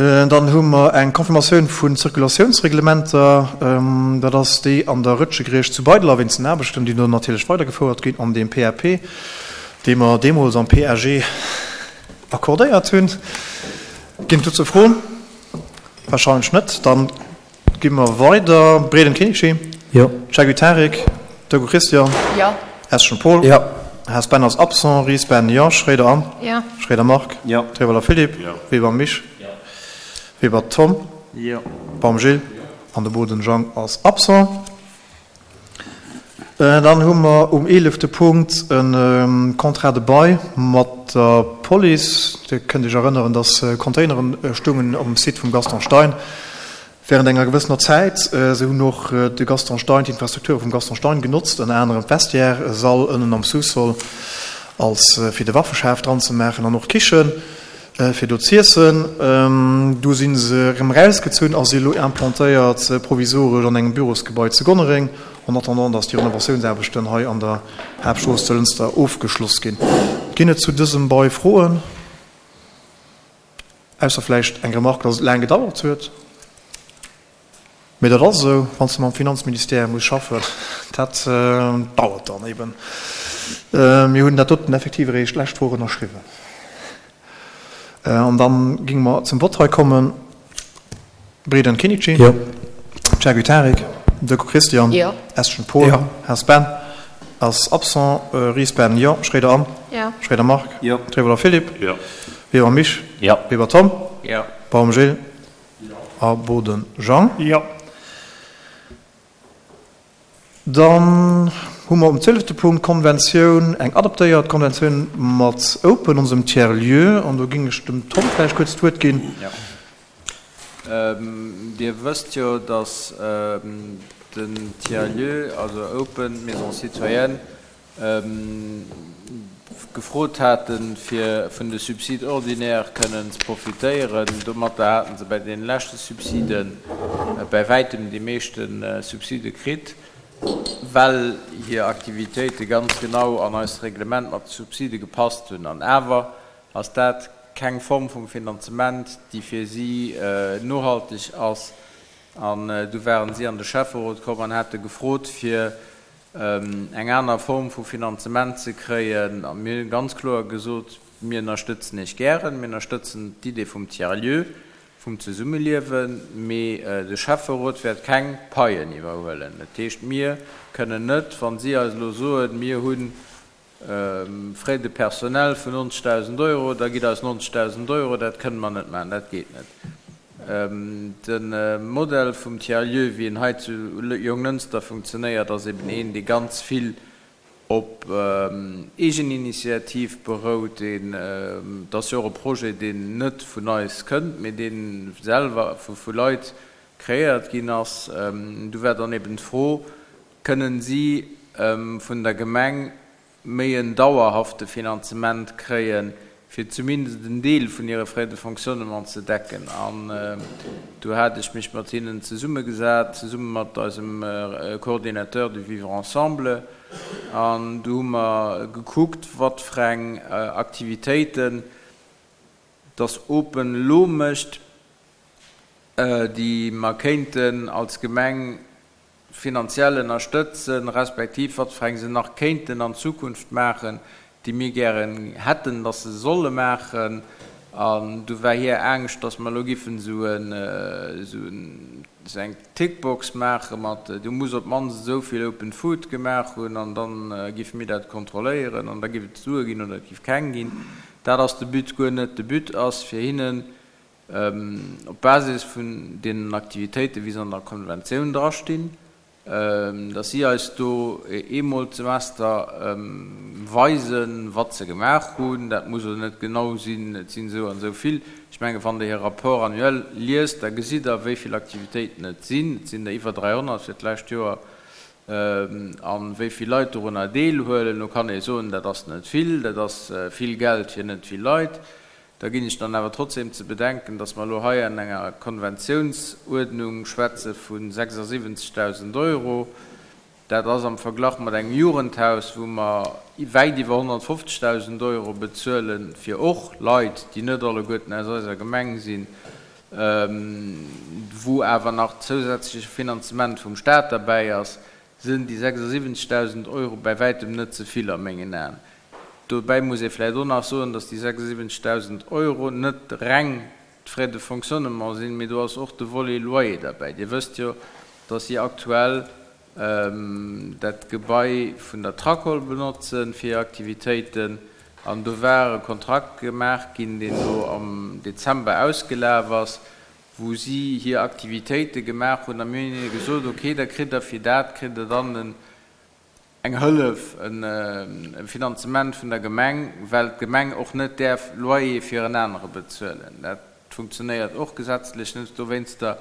Dann hu mer eng Confirmatioun vu Zirkulatiounsreglementer. Dat ass déi an der Rëtschegriecht zu Beideler wéinst den Aarbechten, déi do natierlech weidergefouert ginn an deem PAP, dee mer deemools am PAG accordéiert hunn. Ginn et dozou Froen? Wahrscheinlech net. Dann Gi mer weider. Breden Kenichi. Jo. Chagui Tarik. Dogu Christian. Jo. Eschen Paul. Jo. Haas Ben ass absent. Ries Ben, jo. Schroeder Anne. Jo. Schroeder Marc. Jo. Trewelder Philippe. Jo. Weber Mich. Jo. Weber Tom. Jo. Baum Gilles. Jo. An de Boden Jang ass absent. Dann hu mer um eelefte Punkt e Contrat de bail mat der Police. Dir kënnt Iech erënneren, dass Containeren stungen um Site vum Gaston Stein während enger gewëssener Zäit. Se hunn och de Gaston Stein, d'Infrastrukture vum Gaston Stein genotzt, ënner anerem d'Vestiaire, e Sall ënnen am Sous-sol als fir de Waffeschaf dran ze maachen an och d'Kichen. Fir do z'iessen. Du si se erëm erausgezunn a si elo implantéiert provisoresch an engem Bürosgebai zu Gonnereng, en attendant dass déi Renovatiounsaarbechten hei an der Haaptstrooss zu Lënster ofgeschloss ginn. Ginn et zu dësem Bail Froen? Ausser vläicht eng Remarque, dass et laang gedauert huet. Mee dat ass esou, wann s de mam Finanzministère muss schaffen, dat dauert dann eben. Mir hunn dat doten effektiv eréischt d'lescht Woch ënnerschriwwen. An da géinge mer zum Vott hei kommen. Breden Kinnici. Jo. Chagui Tarik. Decaux Christian. Jo. Eschen Paul. Jo. Haas Ben ass absent. Ries Ben, jo. Schroeder Anne. Jo. Schroeder Marc. Jo. Trevoller Philippe. Jo. Weber Mich. Jo. Weber Tom. Jo. Baum Gilles. A Boden Jean. Jo. Dann hu mer um zwielefte Punkt d'Konventioun, eng adaptéiert Konventioun mat Open, onsem Tiers-lieu. An do géing ech dem Tom vläicht kuerz d'Wuert ginn. Jo. Dir wësst jo, dass den Tiers-lieu, also Open, d'Maison citoyenne, gefrot haten, fir vun de Subsides ordinaires kënnen ze profitéieren. Domatter haten se bäi deene leschte Subside bäi wäitem déi meeschte Subside kritt, well hir Aktivitéite ganz genau an eist Reglement mat de Subside gepasst hunn. An awer ass dat keng Form vum Finanzement, déi fir si nohalteg ass. An du waren si an de Schäfferot komm an hate gefrot, fir eng aner Form vu Finanzement ze kréien. A mir hu ganz kloer gesot, Mir ënnerstëtzen Iech gären, mir ënnerstëtzen d'Idee vum Tiers-lieu, vum Zesummeliewen, mee de Schäfferot wäert keng Paien iwwerhuelen. Dat heescht, mir kënnen net, wa si eis elo soen, mir hu Frais de personnel vun 90.000 Euro, da gitt eis 90.000 Euro, dat kënne mer net maachen, dat geet net. De Modell vum Tiers-lieu, wéi en hei zu Jonglënster funktionéiert, ass eben een, dee ganz vill op Eegeninitiativ berout. Deen, et ass jo och e Projet, deen net vun eis kënnt, mee dee selwer vu Leit kreéiert ginn ass. Du war dann eben d'Fro, Kënnen si vun der Gemeng méi en dauerhafte Finanzement kréien, fir zumindest en Deel vun hire Frais de fonctionnement ze decken? An do hat ech mech mat hinnen zesummegesat, zesumme mat eisem Coordinateur du Vivre ensemble, an do hu mer gekuckt, wat fir eng Aktivitéiten dass Open elo mécht, déi mer kéinten als Gemeng finanziell ënnerstëtzen, respektiv wat fir eng se nach kéinten an Zukunft maachen, déi mir gären hätten, dass se solle maachen. An du war hir Angscht, dass mer elo giffen esou eng Tickbox maache mat, du muss op d'mannst esou vill Open Food gemaach hunn an da giffe mir dat kontrolléieren an da giff et Sue ginn oder et giff keng ginn. Dat ass de But guer net. De But ass fir hinnen Op Basis vun deenen Aktivitéiten, wéi se an der Konventioun drastinn, dass si eis do eemol d'Semester weisen, wat se gemaach hunn. Dat muss elo net genau sinn, et sinn esou an esou vill. Ech mengen, wann Der hire Rapport annuel liest, da gesitt Der, wéi vill Aktivitéiten et sinn. Et sinn der iwwer 300 fir d'lescht Joer. A wéi vill Leit dorunner deelhuelen. Lo kann ee soen, dat ass net vill, dat ass vill Geld fir net vill Leit. Da ginn ech dann awer trotzdem ze bedenken, dass mer elo hei an enger Konventiounsuerdnung schwätze vu 76.000 Euro. Dat ass am Verglach mat engem Jugendhaus, wou mer wäit iwwer 150.000 Euro bezuelen, fir och Leit, déi net alleguerten aus eiser Gemeng sinn. Wou awer nach zousätzleche Finanzement vum Staat derbäi ass, sinn déi 76.000 Euro bäi wäitem net ze vill a mengen Aen. Dobäi muss ee vläicht och nach soen, dass déi 76.000 Euro net reng d'Frais de fonctionnement sinn, mee do ass och de Volet Loyer derbäi. Dir wësst jo, dass si aktuell dat Gebai vun der Tracol benotzen fir hir Aktivitéiten an do war e Kontrakt gemaach ginn, deen elo am Dezember ausgelaf ass, wou si hir Aktivitéite gemaach hunn a mir hunn hinne gesot, okay, da kritt der fir dat kritt der dann en eng Hëllef, e Finanzement vun der Gemeng, well d'Gemeng och net däerf Loyer fir en anere bezuelen. Dat funktionéiert och gesetzlech net. Dowéinster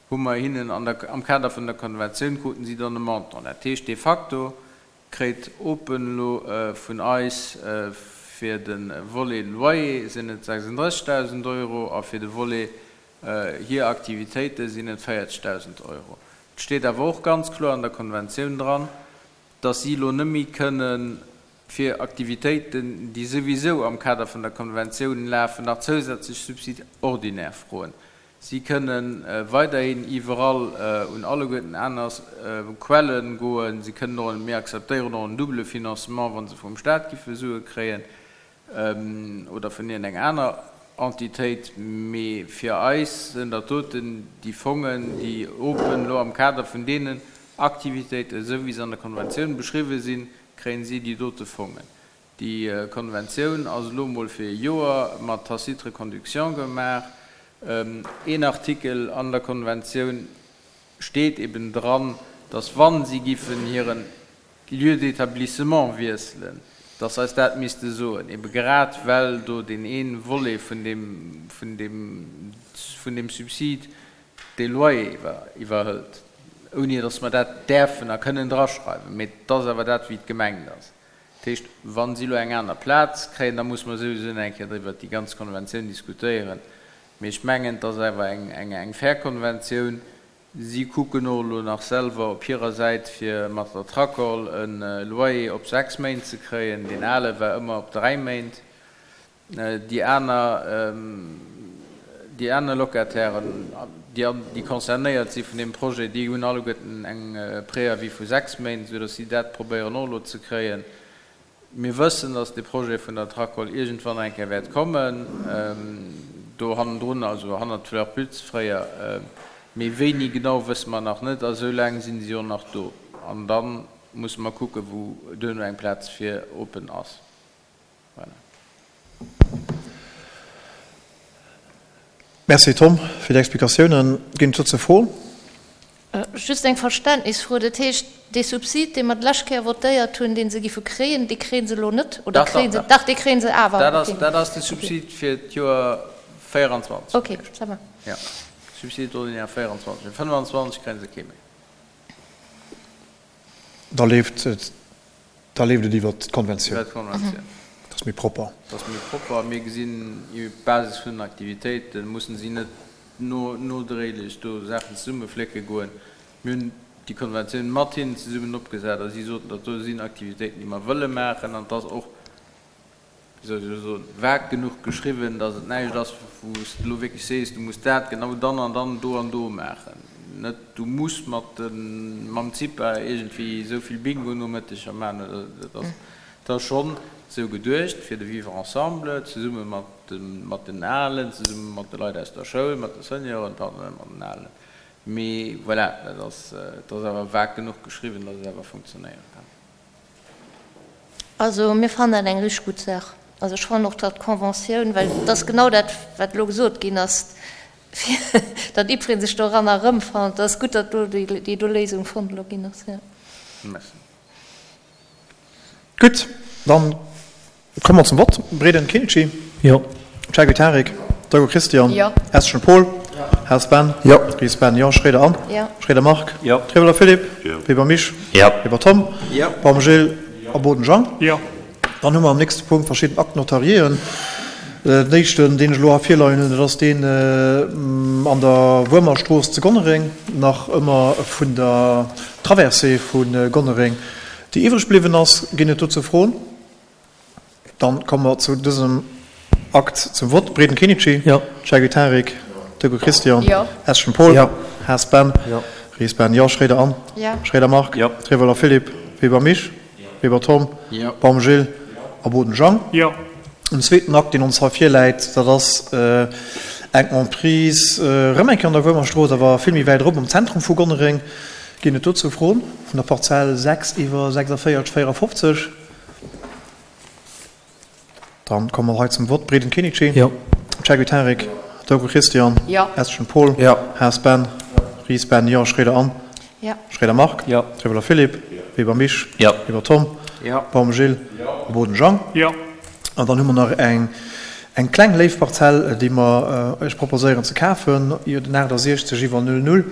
hu mer hinnen an der, am Kader vun der Konventioun kruten si dann e Montant. Dat heescht, de facto kréit Open elo vun eis fir de Volet Loyer sinn et 36.000 Euro a fir de Volet hir Aktivitéite sinn et 40.000 Euro. Et steet awer och ganz kloer an der Konventioun dran, dass si elo net méi kënne fir Aktivitéiten, déi souwisou am Kader vun der Konventioun lafen, nach zousätzlech Subside ordinaire froen. Si kënne weiderhin iwwerall un alleguerten aner Quelle goen. Si kënnen och, mir akzeptéieren och en double Financement, wa se vum Stat giffe Sue kréien. oder vun iergend enger aner Entitéit, mee fir eis sinn dat doten déi Fongen, déi open elo am Kader vun deenen Aktivitéiten, esou wéi se an der Konventioun beschriwwen sinn, kréien si déi dote Fongen. Déi Konventioun ass elo emol fir e Joer mat tacite reconduction gemaach. Een Artikel an der Konventioun steet eben dran, dass wa si giffen hiren Lieu d'établissement wiesselen, dass eis dat misste soen, ebe grad well do deen ee Volet vun deem, vun deem, vun deem Subside de Loyer iwwer, iwwerhëlt, ouni dass mer dat däerfen a kënnen draschreiwen. Mee et ass awer dat, wéi et gemengt ass. Dat heescht, wa si elo eng aner Plaz kréien, da musse mer souwisou nach eng Kéier driwwer déi ganz Konventioun diskutéieren. Mee ech mengen, et ass awer eng, eng, eng fair Konventioun, Si kucken och elo nach selwer op hirer Säit fir mat der Tracol e Loyer op 6 Méint ze kréien. Deen ale war ëmmer op 3 Méint. Déi aner, déi aner Locatairen, déi, déi concernéiert si vun deem Projet, déi hunn alleguerten eng Préavis vu 6 Méint, esou datt si dat probéieren och elo ze kréien. Mir wëssen, dass dee Projet vun der Tracol iergendwann eng Kéier wäert kommen, do hannendrun, also hannert Fleur Pütz fréier. Mee wéini genau, wësse mer nach net. A sou laang sinn si och nach do. An da musse mer kucken, wou duerno eng Plaz fir open ass. Voilà. Merci Tom fir déi Explikatiounen. Ginn et dozou Froen? Just eng Verständnisfro, Dat heescht, dee Subsid, dee mer d'lescht Kéier votéiert hunn, dee se giffe kréien, dee kréie se elo net? Oder kréie se? Dach, dee kréie se awer. Dat ass, dat ass de Subsid fir d'Joer 24. Ok, ça va. Jo, Subside ordinaire 24. Fir 25 kréie se kee méi. Da leeft et, da leeft et iwwert d'Konventioun. Iwwert d'Konventioun. Dat ass méi propper. Dat ass méi propper. Mir gesinn, op Basis vun den Aktivitéiten mussen si net no, nodréiglech do Saachen zesummeflécke goen. Mir hunn déi Konventioun mat hinnen zesummen opgesat a si soten, dat do sinn Aktivitéiten, déi mer wëlle maachen an et ass och, wéi soll ech elo soen, vag genuch geschriwwen, datt et näischt ass, wou s de elo wierklech sees, du muss dat genau dann an dann do an do maachen. Net du muss mat de, mam CIPA iergendwéi esou vill Bingo-Nomëtteger maachen oder dat ass, et ass schonn esou geduecht fir de Vivre ensemble, zesumme mat de, mat den Alen, zesumme mat de Leit aus der Schoul, mat de Senioren, pardon, net mat den Alen. Mee voilà, dat ass, et ass awer vag genuch geschriwwen, datt et awer funktionéiere kann. Also mir fannen dat eng richteg gutt Saach. Also ech fannen och, datt d'Conventioun, well et ass genau dat, wat elo gesot ginn ass, fir datt jiddweree sech doranner erëmfant, et ass gutt, datt do déi do Léisung fonnt elo ginn ass, jo. Merci. Gutt, dann Komme mer zum Vott. Breden Kinci. Jo. Chaguy Tarik. Deugo Christian. Jo. Eschen Paul. Haas Ben. Jo. Ries Ben. Jo. Schroeder Anne. Jo. Schroeder Marc. Jo. Trieweler Philippe. Jo. Weber Misch. Jo. Weber Tom. Jo. Baum Gilles a Boden Jean. Jo. Dann hu mer am nächste Punkt verschidden Actes notariéen. Den éischten, deen ech elo hei virleien hunn, dat ass deen an der Wuermerstrooss zu Gonnereng, nach ëmmer vun der Traversée vu Gonnereng, déi iwwreg bliwwen ass. Ginn et dozou Froen? Dann komme mer zu dësem Akt zum Vott. Breden Kenichi. Jo. Chaguy Tarik. Döger Christian. Jo. Eschen Paul. Jo. Haas Ben. Jo. Ries Ben, jo. Schréider Anne. Jo. Schréider Marc. Jo. Trieweler Philippe. Weber Misch. Weber Tom. Jo. Baum Gilles. A Boden Jang. Jo. En zweeten Akt, deen ons hei virläit, dat ass eng Emprise erëm eng Kéier an der Wuermerstrooss, awer vill méi wäit erop am Zentrum vu Gonnereng. Ginn et dozou Froen vun der Parzell 6 iwwer 46 54? Dann komme mer hei zum Vott. Breden Kenichi. Jo. Ceguit Henrik. Dogo Christian. Jo. Eschen Paul. Jo. Haas Ben. Ries Ben, jo. Schroeder Anne. Jo. Schroeder Marc. Jo. Trieweler Philippe. Weber Misch. Jo. Weber Tom. Jo. Baum Gilles. Jo. Boden Jean. Jo. An dann hu mer nach eng, eng kleng léif Parzell, déi mer Iech proposéieren ze kafen, den 68 iwwer 00.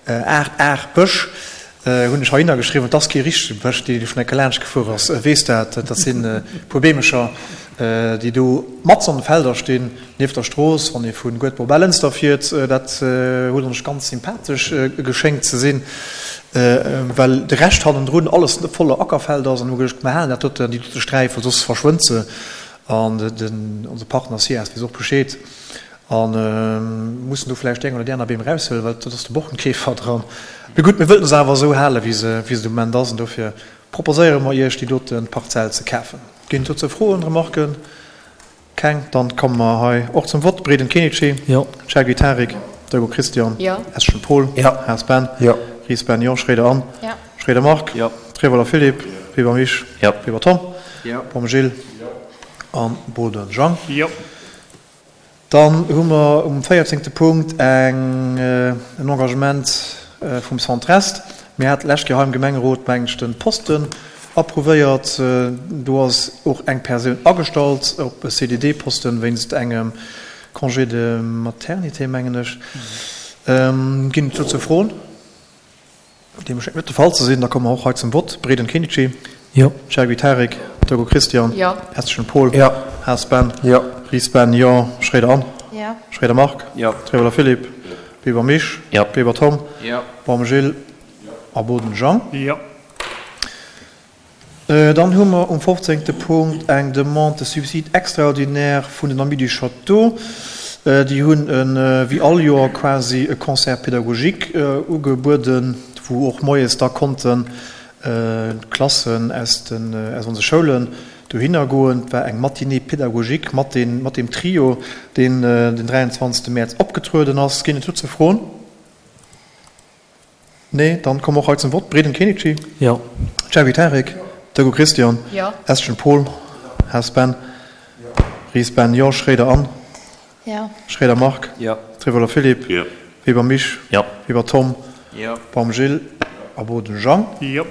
8, 8 Bësch hunn ech heihinner geschriwwen. Et ass kee richtege Bësch, dee dee vun enke laanscht gefuer ass, weess dat. Dat sinn e puer Beemecher, déi do matzen an de Felder stinn, nieft der Strooss, wann ee vu Guedber op Ellënster fiert. Dat huet ons ganz sympathesch geschéngt ze sinn, well de Rescht hannendrun alles voller Ackerfeld ass. An hu geduecht, mer halen dat doten, déi dote Sträif, well soss verschwënnt se. An den, onse Partner SIAS weess och Bescheed. A mussen do vläicht déi eng oder déi aner Beem eraushuelen, well do ass de Borkenkäfer dran. Mee gutt, mir wëllten se awer esou halen, wéi se wéi se de Moment ass. An dofir proposéiere mer Iech, déi dote Parzell ze kafen. Ginn et dozou Froen, Remarken? Keng? Dann komme mer hei och zum Vott. Breden Kenichi. Jo. Chergui Tarik. Deugo Christian. Jo. Eschen Paul. Jo. Haas Ben. Jo. Ries Ben, jo. Schroeder Anne. Jo. Schroeder Marc. Jo. Treweler Philippe. Weber Misch. Jo. Weber Tom. Jo. Baum Gilles. Jo. An Boden Jang. Jo. Dann hu mer um véierzéngte Punkt eng, en Engagement vum Centre Est. Mir haten d'lescht Kéier hei am Gemengerot, mengen ech, de Posten approuvéiert. Do ass och eng Persoun agestallt op e CDD-Posten wéinst engem Congé de maternité, mengen ech. Ginn et dozou Froen? Deem schéngt net de Fall ze sinn. Da komme mer och hei zum Vott. Breden Kenichi. Jo. Chergui Tarik. Togo Christian. Jo. Eschen Paul. Jo. Haas Ben. Jo. Ries Ben, jo. Schroeder Anne. Jo. Schroeder Marc. Jo. Trieweler Philippe. Weber Misch. Jo. Weber Tom. Jo. Baum Gilles. A Boden Jean. Jo. Dann hu mer um fofzéngte Punkt eng Demande de subside extraordinaire vun den Amis du Château. Déi hunn, wéi all Joer quasi, e Concert pédagogique ugebueden, wou och moies da konnten d'Klassen aus den, aus onse Schoulen dohinner goen. Et war eng Matinée pédagogique mat den, mat deem Trio, deen den 23. Mäerz opgetrueden ass. Ginn et dozou Froen? Nee, dann komme och hei zum Vott. Breden Kenichi. Jo. Chergui Tarik. Dögo Christian. Jo. Eschen Paul. Haas Ben. Ries Ben, jo. Schroeder Anne. Jo. Schroeder Marc. Jo. Trevoller Philippe. Jo. Weber Misch. Jo. Weber Tom. Jo. Baum Gilles. A Boden Jean. Jo.